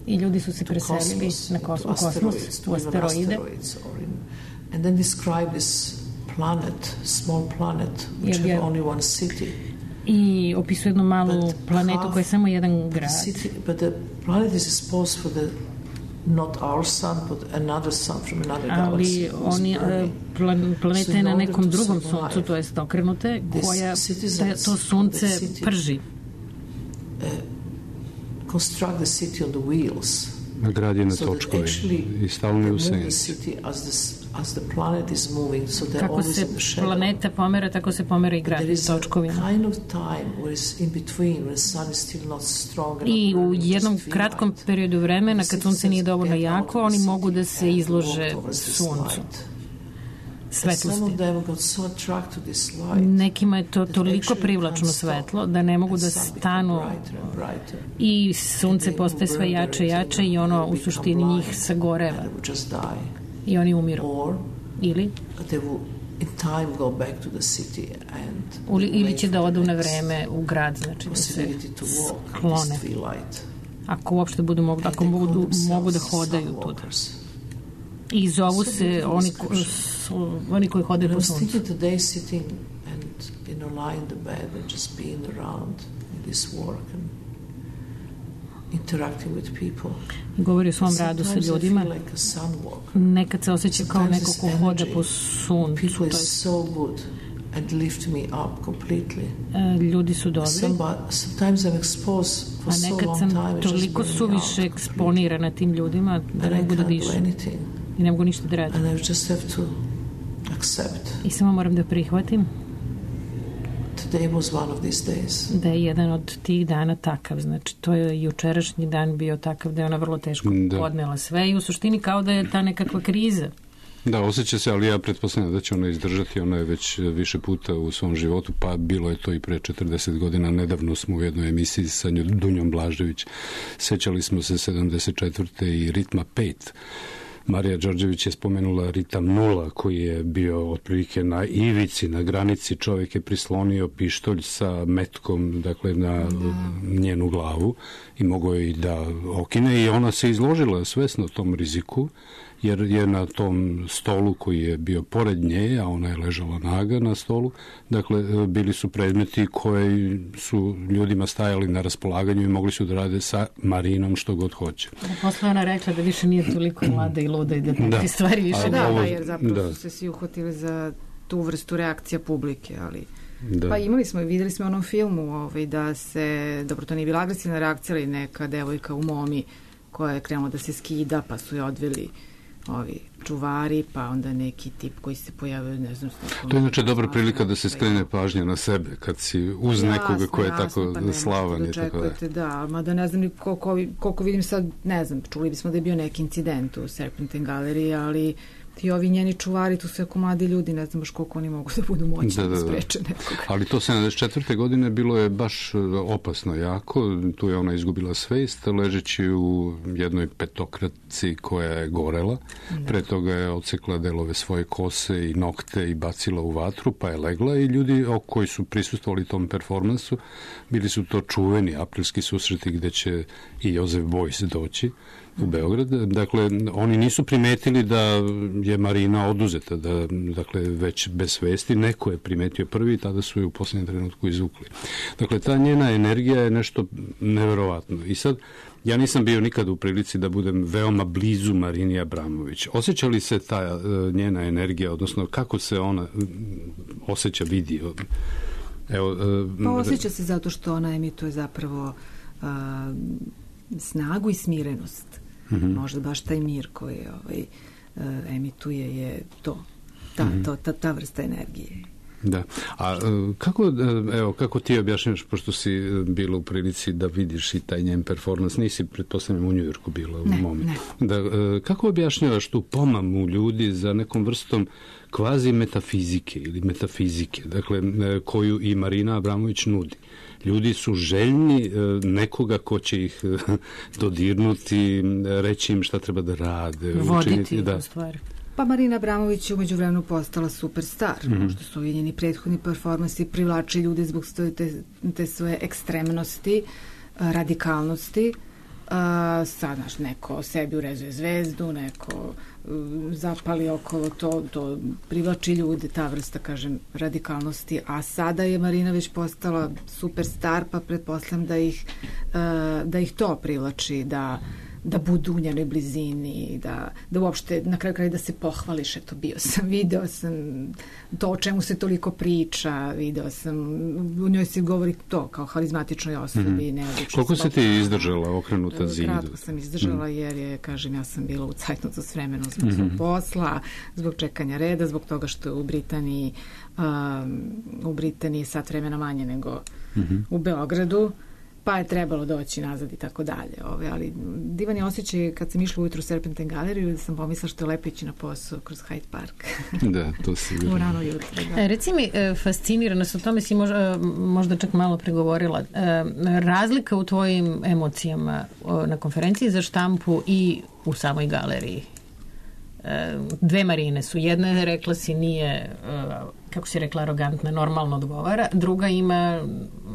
i ljudi su se preselili na kosmos, u asteroide. And then describe this planet, small planet, which had only one city. I opisuje jednu malu planetu koja je samo jedan grad. City, but the planet is exposed for the not our sun, but another sun from another galaxy. Ali oni, plan, planeta je na nekom drugom suncu, to jest okrenute, koja to sunce prži. Uh, construct the city on the wheels. Grad je na točkovi i stalno je u senci. As the planet is moving, so they're kako always se in the shadow. Planeta pomera, tako se pomera i grad s točkovima. Kind of time where is in between, when the sun is still not strong enough. I u jednom kratkom periodu vremena, kad sunce nije dovoljno jako, oni mogu da se izlože suncu. Svetlosti. Nekima je to toliko privlačno svetlo da ne mogu da stanu i sunce postaje sve jače i jače i ono u suštini njih sagoreva. I oni umiru. Ili? Ili će da odu na vreme u grad, znači da se sklone. Ako uopšte budu mogu, ako mogu, mogu da hodaju tuda. I zovu se oni, ko, oni koji hodaju po suncu. I govori o svom radu sa ljudima. Nekad se osjeća kao neko ko hoda po suncu. To je... Ljudi su dobri. A nekad sam toliko suviše eksponirana tim ljudima da ne mogu da dišem. I ne mogu ništa da radim. I samo moram da prihvatim da je jedan od tih dana takav. Znači, to je jučerašnji dan bio takav da je ona vrlo teško da. podnela sve i u suštini kao da je ta nekakva kriza. Da, osjeća se, ali ja pretpostavljam da će ona izdržati. Ona je već više puta u svom životu, pa bilo je to i pre četrdeset godina. Nedavno smo u jednoj emisiji sa Dunjom Blažević. Sećali smo se sedamdeset četvrte i Ritma pet. Marija Đorđević je spomenula ritam nula koji je bio otprilike na ivici, na granici. Čovjek je prislonio pištolj sa metkom, dakle, na da. njenu glavu i mogao je i da okine i ona se izložila svesno tom riziku, jer je na tom stolu koji je bio pored nje, a ona je ležala naga na stolu, dakle, bili su predmeti koji su ljudima stajali na raspolaganju i mogli su da rade sa Marinom što god hoće. Posle ona rekla da više nije toliko mlada i luda i da takve da. stvari više da, ovo, da, jer zapravo da. su se svi uhvatili za tu vrstu reakcija publike, ali da. pa imali smo i videli smo u onom filmu ovaj, da se, dobro, to nije bila agresivna reakcija, ali neka devojka u momi koja je krenula da se skida, pa su je odveli ovi čuvari, pa onda neki tip koji se pojavio, ne znam... To je inače dobra prilika da se skrene pažnja na sebe, kad si uz jasno, nekoga ko je jasno, tako pa slavan. Da očekujete, da, mada ne znam koliko, koliko vidim sad, ne znam, čuli bismo da je bio neki incident u Serpentine galeriji, ali ti ovi njeni čuvari, tu su jako mladi ljudi, ne znam baš koliko oni mogu da budu moćni da, da, da spreče nekoga. Ali to sedamdeset četvrte godine bilo je baš opasno jako, tu je ona izgubila svest, ležeći u jednoj petokraci koja je gorela, da. Pre toga je odsekla delove svoje kose i nokte i bacila u vatru, pa je legla i ljudi koji su prisustvovali tom performansu, bili su to čuveni aprilski susreti gde će i Josef Beuys doći u Beograd. Dakle, oni nisu primetili da je Marina oduzeta, da, dakle, već bez svesti. Neko je primetio prvi i tada su je u posljednjem trenutku izvukli. Dakle, ta njena energija je nešto neverovatno. I sad, ja nisam bio nikad u prilici da budem veoma blizu Marini Abramović. Osjeća li se ta njena energija, odnosno kako se ona osjeća, vidi? Evo, pa osjeća se zato što ona emituje zapravo a, snagu i smirenost. Mm-hmm. Možda baš taj mir koji ovaj, uh, emituje je to, ta, mm-hmm. to, ta, ta vrsta energije. Da. A kako, evo, kako ti objašnjaš, pošto si bila u prilici da vidiš i taj njen performans, nisi, pretpostavljam, u Njujorku bila u ne, momentu. Ne. Da, kako objašnjavaš tu pomamu ljudi za nekom vrstom kvazi metafizike ili metafizike, dakle, koju i Marina Abramović nudi? Ljudi su željni nekoga ko će ih dodirnuti, reći im šta treba da rade. Voditi, učiniti, da. U stvari. Pa Marina Abramović je umeđu vremenu postala superstar. Mm-hmm. Možda su i njeni prethodni performansi privlači ljude zbog te, te svoje ekstremnosti, radikalnosti. Uh, sad, znaš, neko sebi urezuje zvezdu, neko uh, zapali okolo to, to privlači ljude, ta vrsta, kažem, radikalnosti. A sada je Marina već postala superstar, pa pretpostavljam da ih, uh, da ih to privlači, da da budu u njenoj blizini, da, da uopšte na kraju kraja da se pohvališ, eto, bio sam, video sam to o čemu se toliko priča, video sam, u njoj se govori to kao harizmatičnoj osobi. Mm-hmm. Koliko se ti izdržala okrenuta zidu? Kratko sam izdržala, mm-hmm. jer je, kažem, ja sam bila u cajtnotu s vremenom zbog mm-hmm. svog posla, zbog čekanja reda, zbog toga što je u Britaniji um, u Britaniji sat vremena manje nego mm-hmm. u Beogradu, pa je trebalo doći nazad i tako dalje. Ove, ali divan je osjećaj kad sam išla ujutru u Serpentine galeriju da sam pomislila što je lepo ići na posao kroz Hyde Park. Da, to si u rano jutro. Da. E, reci mi, fascinirana sam, o tome si možda, možda čak malo pregovorila. E, razlika u tvojim emocijama na konferenciji za štampu i u samoj galeriji. E, dve Marine su. Jedna je, rekla si, nije, kako si rekla, arogantna, normalno odgovara. Druga ima,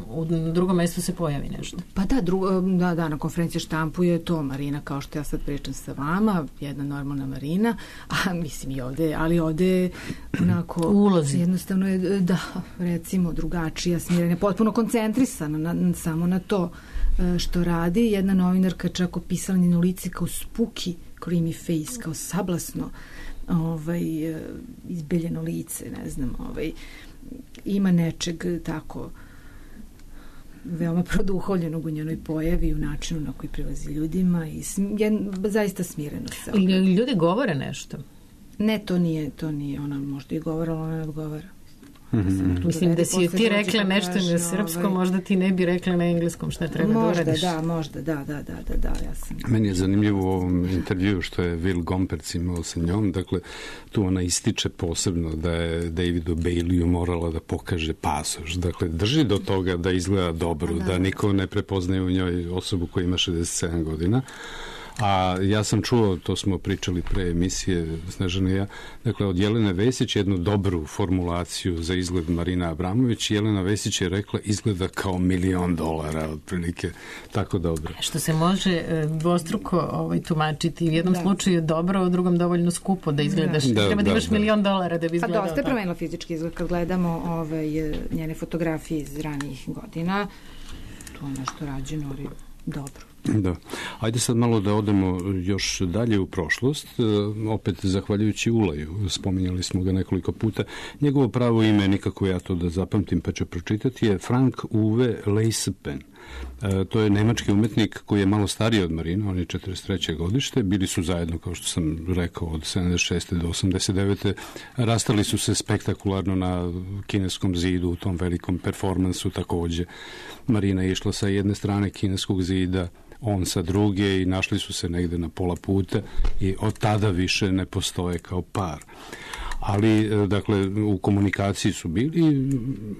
u drugom mjestu se pojavi nešto. Pa da, drugo, da, da, na konferenciji štampu je to Marina, kao što ja sad pričam sa vama, jedna normalna Marina, a mislim i ovde, ali ovde onako ulozi. Jednostavno je, da, recimo, drugačija, smirena, potpuno koncentrisana na, na, samo na to što radi. Jedna novinarka čak opisala njeno lice kao spuki, creamy face, kao sablasno ovaj, izbeljeno lice, ne znam, ovaj, ima nečeg tako veoma produhovljenog u njenoj pojavi, u načinu na koji prilazi ljudima i sm, je, zaista smireno se. Ljudi govore nešto? Ne, to nije, to nije, ona možda i govora, ona ne odgovara. Mm-hmm. Mislim da si ti rekla nešto na srpskom, ovaj... možda ti ne bi rekla na engleskom šta treba možda, da uradiš. Da, možda, da, da, da, da, da, ja sam... Meni je zanimljivo u ovom intervju što je Will Gompertz imao sa njom, dakle, tu ona ističe posebno da je Davidu Baileyu morala da pokaže pasoš, dakle, drži do toga da izgleda dobro, da, da niko ne prepoznaje u njoj osobu koja ima šezdeset sedam godina, A ja sam čuo, to smo pričali pre emisije Snežana i ja, dakle od Jelene Vesić jednu dobru formulaciju za izgled Marina Abramović. Jelena Vesić je rekla izgleda kao milion dolara, otprilike tako dobro. Što se može dvostruko ovaj, tumačiti. U jednom da. slučaju dobro, u drugom dovoljno skupo da izgledaš. Da. Treba da, da imaš da. milion dolara da bi izgledao. Pa dosta je promenilo fizički izgled kad gledamo ovaj, njene fotografije iz ranijih godina. To je nešto rađeno, ali dobro. Da. Ajde sad malo da odemo još dalje u prošlost, opet zahvaljujući Ulaju, spominjali smo ga nekoliko puta. Njegovo pravo ime, nikako ja to da zapamtim pa ću pročitati, je Frank Uwe Leispen. E, to je nemački umetnik koji je malo stariji od Marina, on je četrdeset treće godište, bili su zajedno, kao što sam rekao, od sedamdeset šeste do osamdeset devete Rastali su se spektakularno na kineskom zidu u tom velikom performansu takođe. Marina je išla sa jedne strane kineskog zida, on sa druge i našli su se negde na pola puta i od tada više ne postoje kao par. Ali, dakle, u komunikaciji su bili.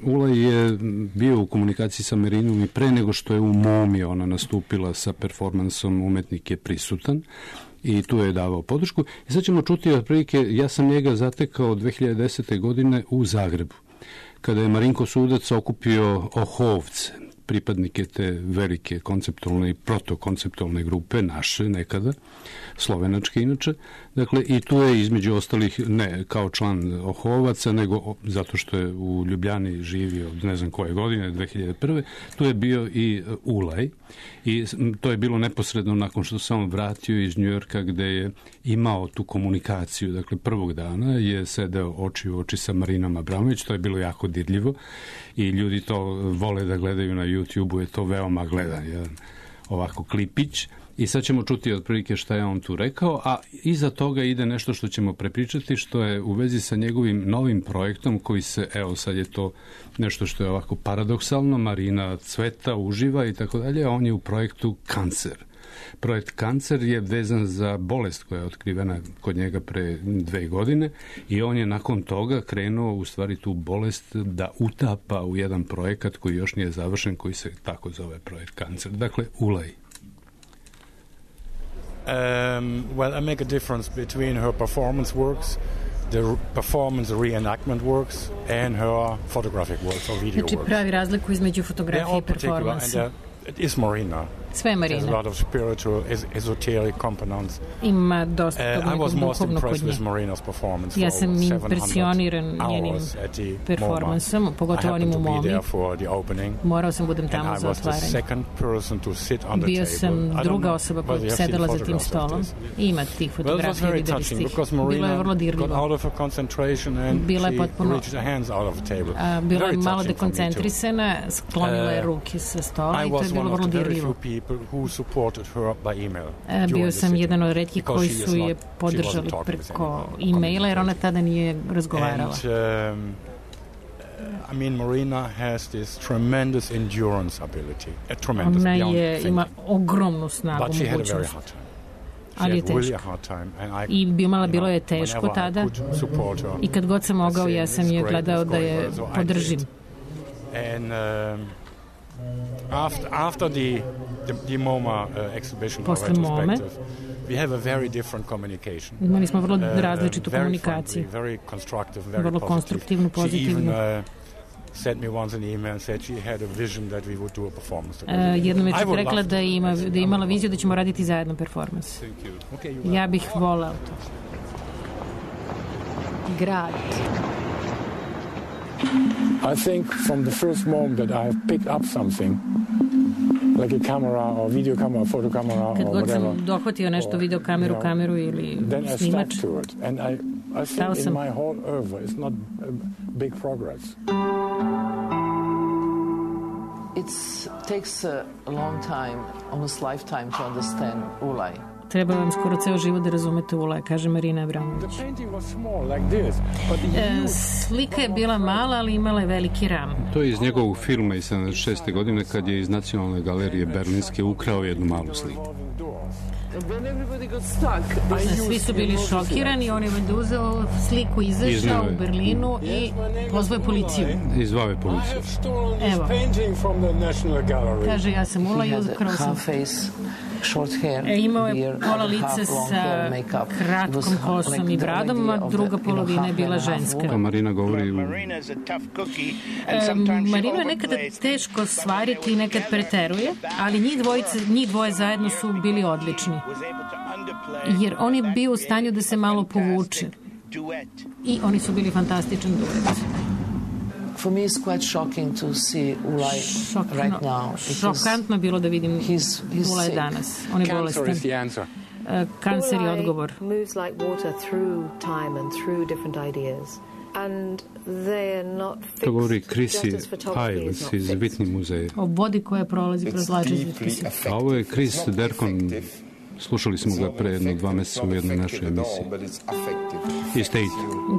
Ulaj je bio u komunikaciji sa Marinom i pre nego što je u Momi ona nastupila sa performansom Umetnik je prisutan i tu je davao podršku. I sad ćemo čuti otprilike, ja sam njega zatekao dve hiljade desete godine u Zagrebu, kada je Marinko Sudac okupio Ohovce, pripadnike te velike konceptualne i protokonceptualne grupe, naše nekada, slovenačke inače. Dakle, i tu je između ostalih, ne kao član Ohovaca, nego zato što je u Ljubljani živio od ne znam koje godine, dve hiljade prve tu je bio i Ulaj. I to je bilo neposredno nakon što se on vratio iz Njujorka gde je imao tu komunikaciju. Dakle, prvog dana je sedeo oči u oči sa Marinom Abramović, to je bilo jako dirljivo i ljudi to vole da gledaju na YouTube-u, je to veoma gledan jedan ovako klipić. I sad ćemo čuti otprilike šta je on tu rekao, a iza toga ide nešto što ćemo prepričati, što je u vezi sa njegovim novim projektom koji se, evo sad je to nešto što je ovako paradoksalno, Marina cveta, uživa i tako dalje, a on je u projektu Kancer. Projekt Kancer je vezan za bolest koja je otkrivena kod njega pre dve godine i on je nakon toga krenuo u stvari tu bolest da utapa u jedan projekat koji još nije završen, koji se tako zove projekt Kancer. Dakle, Ulaj. Um, well, I make a difference between her performance works, the performance reenactment works, and her photographic works or video znači, works. Pravi razliku između fotografije i performansa. It is Marina. Sve Marina. There's a lot of spiritual, esoteric components. Ima dosta uh, I was most impressed with Marina's performance. Ja sam impresioniran njenim performansom, pogotovo onim u Momi. Morao sam budem tamo za otvaranje. Bio sam druga osoba koja je sedela za tim stolom. Ima tih fotografija, videli ste ih. Bilo je vrlo dirljivo. Bila je potpuno... A, bila je malo dekoncentrisana, sklonila je ruke sa stola i to je bilo vrlo dirljivo. Bio sam jedan od retkih koji su je podržali preko e-maila jer ona tada nije razgovarala. I mean, Marina has this tremendous endurance ability. A tremendous, ona je, ima ogromnu snagu, mogućnost. Ali je teško. I imala bilo je teško tada i kad god sam mogao ja sam je gledao da je podržim. And um, After, after the, the, the MoMA uh, exhibition or retrospective, we have a very different communication. Imali smo vrlo različitu uh, komunikaciju. Very, very constructive, very vrlo konstruktivnu, pozitivnu. She even uh, sent me once an email and said she had a vision that we would do a performance. Uh, jednom je čak rekla da, ima, da je imala viziju da ćemo raditi zajedno performans. Okay, ja bih volao to. Grad. I think from the first moment that I have picked up something, like a camera or video camera, photo camera kad or god whatever, sam dohvatio nešto, video kameru, you know, kameru ili then snimač, I stuck to it. And I, I think in my whole oeuvre it's not a big progress. It takes a long time, almost lifetime to understand Ulaj. Treba vam skoro ceo život da razumete Ulaj, kaže Marina Abramović. E, slika je bila mala, ali imala je veliki ram. To je iz njegovog filma iz sedamdeset šeste godine kad je iz Nacionalne galerije Berlinske ukrao jednu malu sliku. Svi su bili šokirani, on je valjda uzeo sliku, izašao u Berlinu i pozvao je policiju. Izvao je policiju. Evo. Kaže, ja sam Ulaj i ukrao sam. short hair. E, imao je pola lice sa kratkom kosom i bradom, a druga polovina je bila ženska. To Marina govori u... E, Marinu je nekada teško stvariti i nekad preteruje, ali njih, dvojice, njih dvoje zajedno su bili odlični. Jer on je bio u stanju da se malo povuče. I oni su bili fantastičan duet. For me it's quite shocking to see Ulay right now. Šokantno je bilo da vidim Ulay danas. On je bolestan. Cancer is the answer. Uh, kancer je odgovor. Moves like water through time and through different ideas. And they are not fixed. To govori Chrissy Hiles iz Whitney muzeja. O vodi koja prolazi kroz različite. A ovo je Chris Dercon. Slušali smo ga pre jedno dva meseca u jednoj našoj emisiji. I State.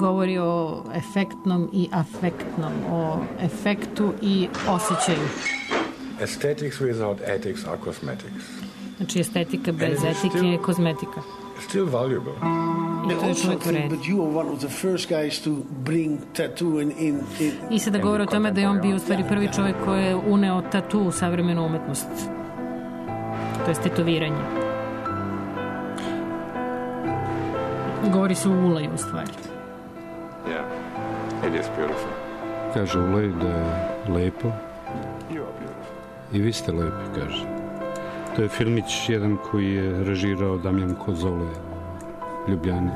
Govori o efektnom i afektnom, o efektu i osjećaju. Aesthetics without ethics are cosmetics. Znači estetika bez etike je kozmetika. Still valuable. I to je čovjek u redu. I sada govori o tome da je on bio u stvari prvi čovjek koji je uneo tatu u savremenu umetnost. To je tetoviranje. Govori se o Ulaju u stvari. Yeah, it is beautiful. Kaže Ulaj da je lepo. I vi ste lepi, kaže. To je filmić jedan koji je režirao Damjan Kozole u Ljubljani.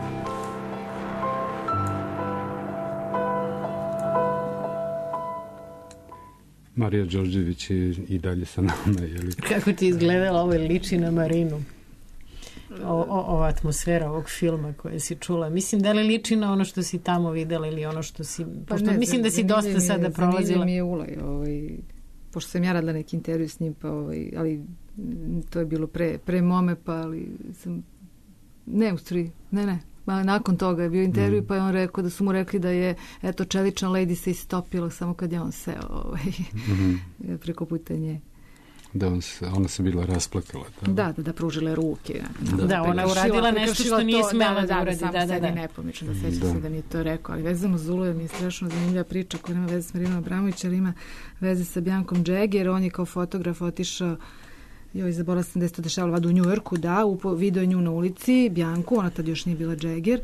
Marija Đorđević je i dalje sa nama. Jeli? Kako ti izgledala ovo liči na Marinu? O, o, ova atmosfera ovog filma koje si čula. Mislim, da li liči na ono što si tamo videla ili ono što si... Pa pošto, ne, mislim da si dosta je, sada prolazila. Zanimljiv mi je Ulaj. Ovaj, pošto sam ja radila neki intervju s njim, pa ovaj, ali to je bilo pre, pre mome, pa ali sam... Ne, u stvari, ne, ne. Ma, nakon toga je bio intervju, mm. pa je on rekao da su mu rekli da je, eto, čelična lady se istopila samo kad je on seo ovaj, mm-hmm. preko puta nje. Da, on se, ona se bila rasplakala. Da, da, da, da pružile ruke. Da, da ona uradila nešto što nije smela da, da uradi. Da, da, da, da. Nepomično, da sećam se da mi je to rekao. Ali vezano za Uluje mi je strašno zanimljiva priča koja nema veze s Marinom Abramović, ali ima veze sa Biancom Jagger. On je kao fotograf otišao, joj, zaboravila sam da je to dešavalo vada u Njujorku, da, video je nju na ulici, Biancu, ona tad još nije bila Jagger,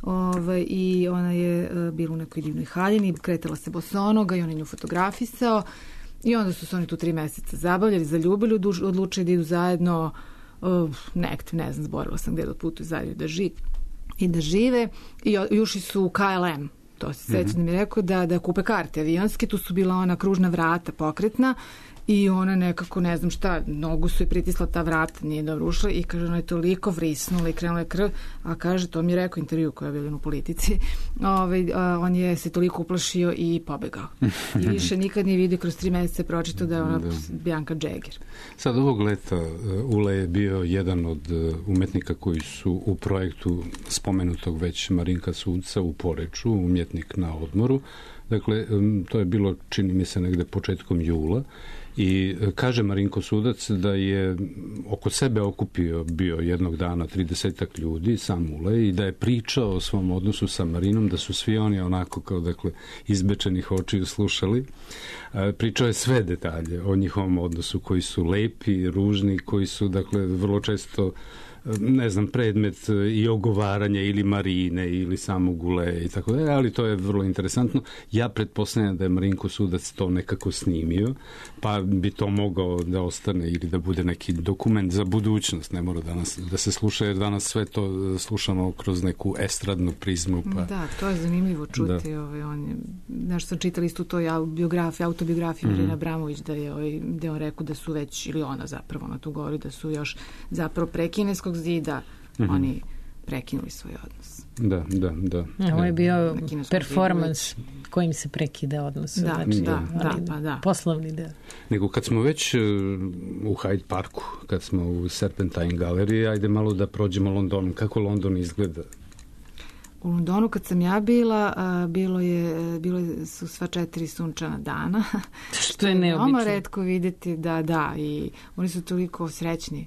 ovaj, i ona je uh, bila u nekoj divnoj haljini, kretala se bosonoga i on je nju fotografisao. I onda su se oni tu tri meseca zabavljali, zaljubili, odlučili da idu zajedno, uh, nekde, ne znam, zborila sam gde da putuju zajedno da žive i da žive. I ušli su u K L M, to se sećam da mi je rekao, da, da kupe karte avionske, tu su bila ona kružna vrata pokretna i ona nekako, ne znam šta, nogu su je pritisla ta vrata, nije dobro ušla i kaže, ona je toliko vrisnula i krenula je krv, a kaže, to mi je rekao intervju koja je bila u Politici, ovaj, a, on je se toliko uplašio i pobegao. I više nikad nije vidio, kroz tri meseca pročitao da je ona Bianca Jagger. Sad ovog leta Ule je bio jedan od umetnika koji su u projektu spomenutog već Marinka Sudca u Poreču, umjetnik na odmoru. Dakle, to je bilo, čini mi se, negde početkom jula. I kaže Marinko Sudac da je oko sebe okupio bio jednog dana tridesetak ljudi, sam Ulej, i da je pričao o svom odnosu sa Marinom, da su svi oni onako kao, dakle, izbečenih očiju slušali. Pričao je sve detalje o njihovom odnosu, koji su lepi, ružni, koji su, dakle, vrlo često, ne znam, predmet i ogovaranja ili Marine ili samog Uleja i tako da, ali to je vrlo interesantno. Ja pretpostavljam da je Marinko Sudac to nekako snimio, pa bi to mogao da ostane ili da bude neki dokument za budućnost. Ne mora danas da se sluša, jer danas sve to slušamo kroz neku estradnu prizmu. Pa... Da, to je zanimljivo čuti. Ovaj, on je, nešto sam čitala isto to biografiju, autobiografiju Marina mm. Abramović, da je, ovaj, da je on rekao da su već, ili ona zapravo, ona tu govori, da su još zapravo pre kineskog zida mm-hmm. oni prekinuli svoj odnos. Da, da, da. Ovo je bio performans kojim se prekida odnos. Da, znači, da, da, pa da. Poslovni deo. Nego kad smo već u Hyde Parku, kad smo u Serpentine galeriji, ajde malo da prođemo Londonom. Kako London izgleda? U Londonu kad sam ja bila, bilo je, bilo su sva četiri sunčana dana. Što je neobično. Veoma retko vidjeti, da, da, i oni su toliko srećni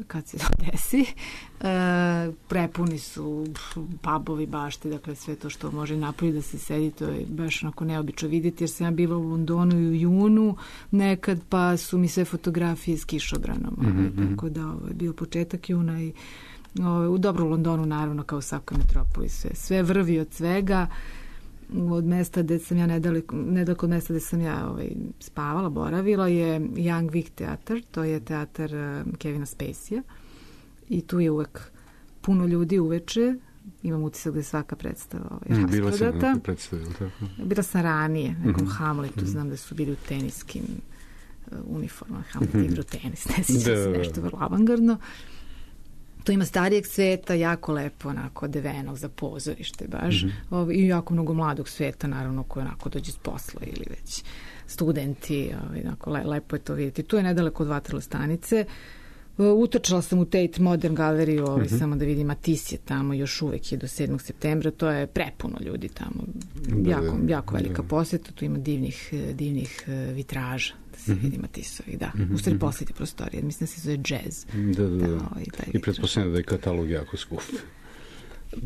kad se to desi. E, prepuni su pubovi, bašte, dakle sve to što može napolje da se sedi, to je baš onako neobično vidjeti, jer sam ja bila u Londonu i u junu nekad, pa su mi sve fotografije s kišobranom. Mm-hmm. Tako da ovo je bio početak juna i ovo, u dobro u Londonu naravno kao u svakoj metropoli sve, sve vrvi od svega. Od mesta gde sam ja nedaleko, nedaleko od mesta gde sam ja ovaj, spavala, boravila je Young Vic teatar, to je teatar uh, Kevina Spacey-a i tu je uvek puno ljudi uveče, imam utisak da je svaka predstava ovaj, mm, bila sam neka predstava, tako? Bila sam ranije, nekom mm-hmm. Hamletu, mm-hmm. znam da su bili u teniskim uh, uniformama, Hamlet mm-hmm. igrao tenis, ne sjećam se nešto vrlo avangardno. To ima starijeg sveta, jako lepo, onako, devenog za pozorište, baš. Mm-hmm. I jako mnogo mladog sveta, naravno, koji onako dođe s posla ili već studenti. Ovaj, onako, le, lepo je to vidjeti. Tu je nedaleko od Waterloo stanice. Utrčala sam u Tate Modern galeriju, ovaj, mm-hmm. samo da vidim, Matisse je tamo, još uvek je do sedmog septembra. To je prepuno ljudi tamo. Jako, jako velika posjeta. Tu ima divnih, divnih vitraža. Se mm-hmm. vidi Matissovi, da. Mm-hmm. U stvari posljednje prostorije, mislim da se zove jazz. Da, da, da. da ovaj, I pretpostavljam da je katalog jako skup.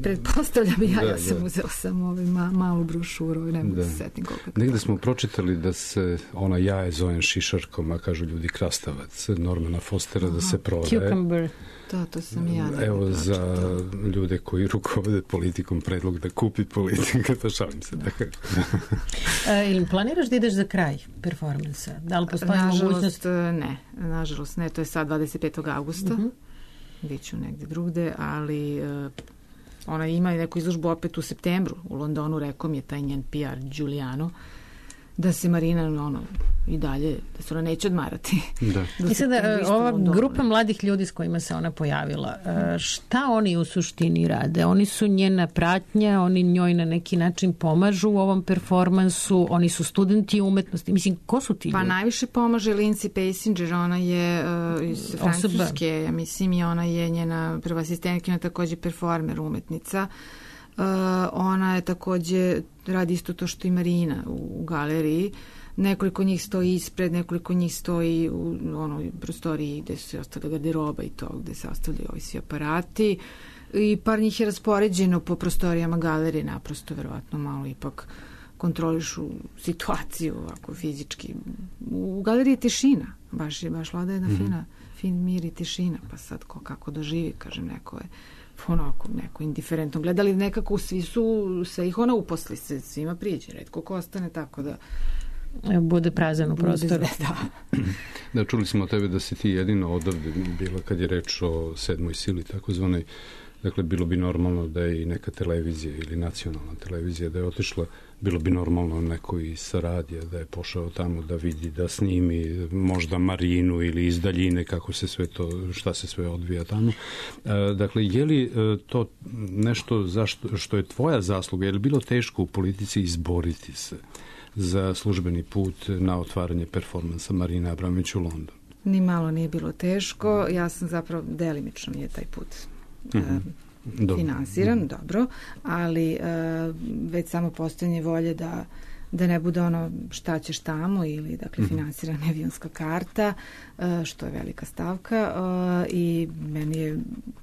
Pretpostavljam i ja, da, ja sam da. uzela sam ovaj ma, malu brošuru, ne mogu da se setim koliko je. Negde smo pročitali da se ona jaje zovem šišarkom, a kažu ljudi krastavac, Normana Fostera, aha, da se prodaje. Cucumber. Da, to sam i ja. Evo za ljude koji rukovode politikom predlog da kupi politika, to šalim se. Da. e, ili planiraš da ideš za kraj performansa? Da li postoji mogućnost? Ne, nažalost ne, to je sad dvadeset petog avgusta. Uh-huh. Biću negde drugde, ali uh, ona ima neku izložbu opet u septembru. U Londonu, rekao mi je taj njen P R Giuliano, da se Marina ono, i dalje, da se ona neće odmarati. Da. I sada, ova Londonu, grupa mladih ljudi s kojima se ona pojavila, šta oni u suštini rade? Oni su njena pratnja, oni njoj na neki način pomažu u ovom performansu, oni su studenti umetnosti. Mislim, ko su ti ljudi? Pa najviše pomaže Lindsay Passinger, ona je uh, iz Francuske, ja mislim, i ona je njena prva asistentkinja, takođe performer, umetnica. Uh, ona je takođe radi isto to što i Marina u, u galeriji. Nekoliko njih stoji ispred, nekoliko njih stoji u onoj prostoriji gde se ostavlja garderoba i to, gde se ostavljaju ovi svi aparati. I par njih je raspoređeno po prostorijama galerije, naprosto verovatno malo ipak kontrolišu situaciju ovako fizički. U galeriji je tišina, baš je baš vlada jedna mm-hmm. fina, fin mir i tišina, pa sad ko kako doživi, kažem, neko je onako, neko indiferentno gledali, nekako svi su, sve ih ona uposli, se svima priđe, retko ko ostane, tako da bude prazan u prostoru. Da. Da, čuli smo od tebe da si ti jedino odavde bila kad je reč o sedmoj sili, takozvanoj. Dakle, bilo bi normalno da je i neka televizija ili nacionalna televizija da je otišla, bilo bi normalno neko i sa radija da je pošao tamo da vidi, da snimi možda Marinu ili iz daljine kako se sve to, šta se sve odvija tamo. E, dakle, je li to nešto zašto, što je tvoja zasluga, je li bilo teško u politici izboriti se za službeni put na otvaranje performansa Marine Abramović u Londonu? Ni malo nije bilo teško, ja sam zapravo delimično mi je taj put mm-hmm. uh, finansiran, mm-hmm. dobro, ali uh, već samo postojanje volje da da ne bude ono šta ćeš tamo ili dakle mm-hmm. finansirana avionska karta, uh, što je velika stavka uh, i meni je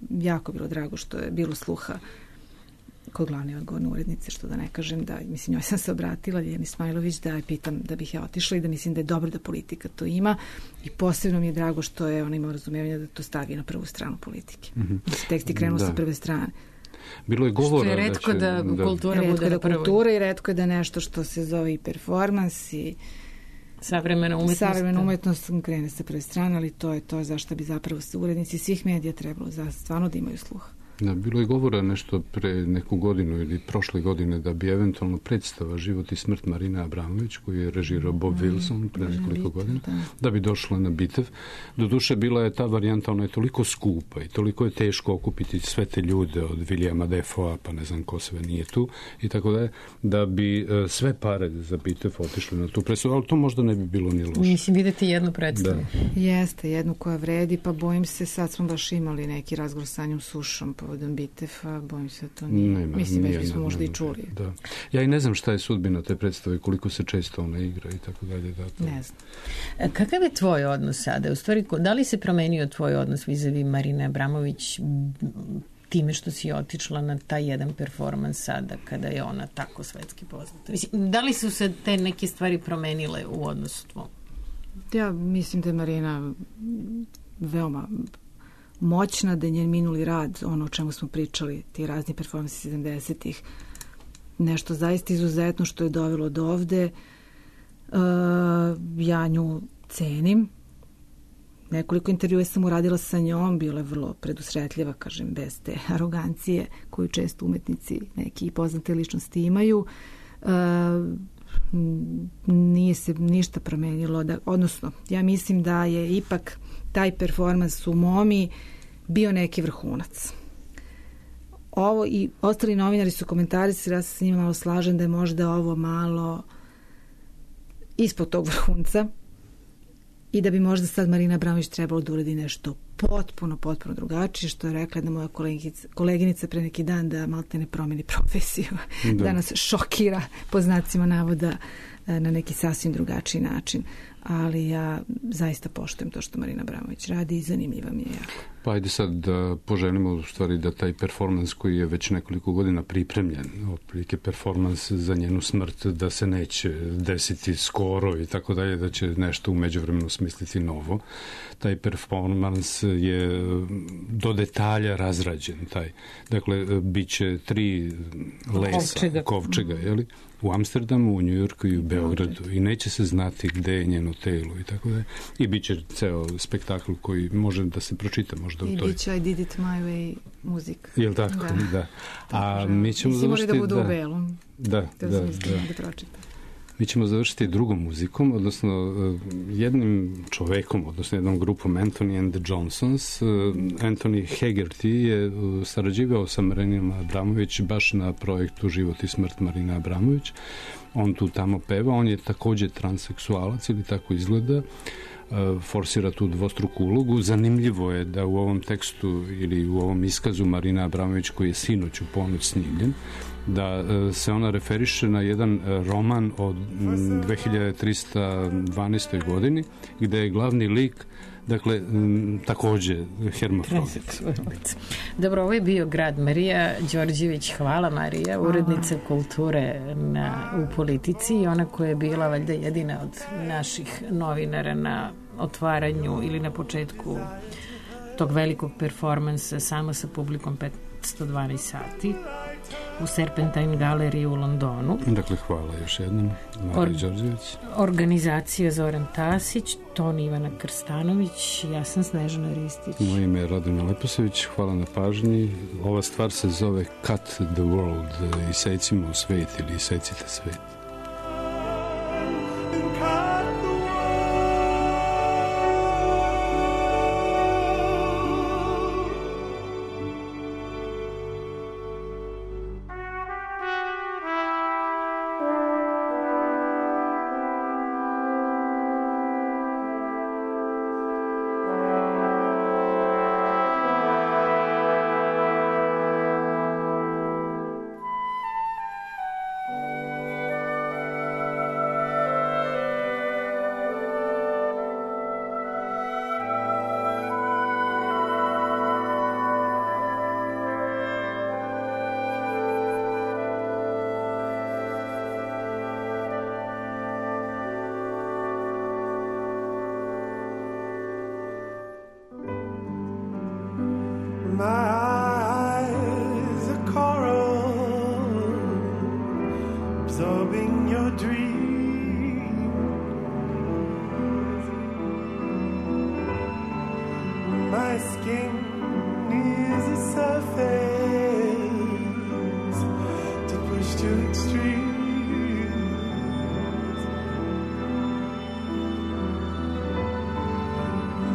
jako bilo drago što je bilo sluha kod glavne odgovorne urednice, što da ne kažem da, mislim, njoj sam se obratila, Ljiljani Smajlović, da je pitam da bih ja otišla i da mislim da je dobro da politika to ima i posebno mi je drago što je ona imala razumijevanje da to stavi na prvu stranu politike. Mm-hmm. Da se teksti krenuo da. sa prve strane. Bilo je govora što je retko da, će, da, da kultura retko bude da kultura i retko je da nešto što se zove i performans i savremena umetnost. Savremena umetnost krene sa prve strane, ali to je to zašto bi zapravo urednici svih medija trebalo za stvarno da imaju sluha. Da, bilo je govora nešto pre neku godinu ili prošle godine da bi eventualno predstava Život i smrt Marine Abramović, koju je režirao Bob mm, Wilson pre nekoliko godina, da. da bi došla na Bitev. Doduše, bila je ta varijanta, ona je toliko skupa i toliko je teško okupiti sve te ljude od Williama Defoea, pa ne znam ko sve nije tu, i tako da je, da bi uh, sve pare za Bitev otišli na tu predstavu, ali to možda ne bi bilo ni loše. Mislim, vidjeti jednu predstavu. Da. Jeste, jednu koja vredi, pa bojim se, sad smo baš imali neki razgovor sa Anjom Sušom, pa povodom Bitefa, bojim se da to nije. Nema, Mislim, već nije, bismo ne, možda ne, i čuli. Da. Ja i ne znam šta je sudbina te predstave, koliko se često ona igra i tako dalje. Da, to... Ne znam. Kakav je tvoj odnos sada? U stvari, da li se promenio tvoj odnos vis-a-vis Marine Abramović time što si otišla na taj jedan performans sada kada je ona tako svetski poznata? Mislim, da li su se te neke stvari promenile u odnosu tvom? Ja mislim da je Marina veoma moćna, da je njen minuli rad, ono o čemu smo pričali, ti razni performansi sedamdesetih, nešto zaista izuzetno što je dovelo do ovde. Uh, ja nju cenim. Nekoliko intervjua sam uradila sa njom, bila je vrlo predusretljiva, kažem, bez te arogancije koju često umetnici neki poznate ličnosti imaju. Uh, nije se ništa promenilo, da, odnosno ja mislim da je ipak taj performans u Momi bio neki vrhunac. Ovo i ostali novinari su komentarisali, ja se s njima malo slažem da je možda ovo malo ispod tog vrhunca i da bi možda sad Marina Abramović trebalo da uradi nešto potpuno, potpuno drugačije, što je rekla jedna moja koleginica, koleginica pre neki dan da malte ne promeni profesiju, da. da nas šokira po znacima navoda na neki sasvim drugačiji način. Ali ja zaista poštujem to što Marina Abramović radi i zanimljiva mi je jako. Pa ajde sad da poželimo u stvari da taj performans koji je već nekoliko godina pripremljen, otprilike performans za njenu smrt, da se neće desiti skoro i tako dalje, da će nešto u međuvremenu smisliti novo. Taj performans je do detalja razrađen. Taj. Dakle, bit će tri lesa, kovčega, kovčega jeli? U Amsterdamu, u Njujorku i u Beogradu i neće se znati gde je njeno telo i tako da. I bit će ceo spektakl koji može da se pročita možda I u toj... I bit će I Did It My Way muzik. Jel tako? Da. da. A mi ćemo Mislim završiti... da budu da, u belom. Da, da, da. da. da Mi ćemo završiti drugom muzikom, odnosno jednim čovekom, odnosno jednom grupom Anthony and the Johnsons. Anthony Hegarty je sarađivao sa Marinom Abramović baš na projektu Život i smrt Marine Abramović. On tu tamo peva, on je takođe transseksualac ili tako izgleda, forsira tu dvostruku ulogu. Zanimljivo je da u ovom tekstu ili u ovom iskazu Marina Abramović koji je sinoć u ponoć snimljen, da se ona referiše na jedan roman od dve hiljade trista dvanaestoj godini, gde je glavni lik, dakle, takođe hermafrodit. Dobro, ovo je bio Grad. Marija Đorđević, hvala Marija, urednica kulture na, u Politici i ona koja je bila valjda jedina od naših novinara na otvaranju ili na početku tog velikog performansa samo sa publikom petsto dvanaest sati u Serpentine galeriji u Londonu. Dakle, hvala još jednom Mariji Đorđević. Organizacija Zoran Tasić, ton Ivana Krstanović, ja sam Snežana Ristić. Moje ime je Radona Leposević, hvala na pažnji. Ova stvar se zove Cut the World, isecimo svet ili isecite svet.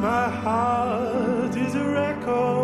My heart is a record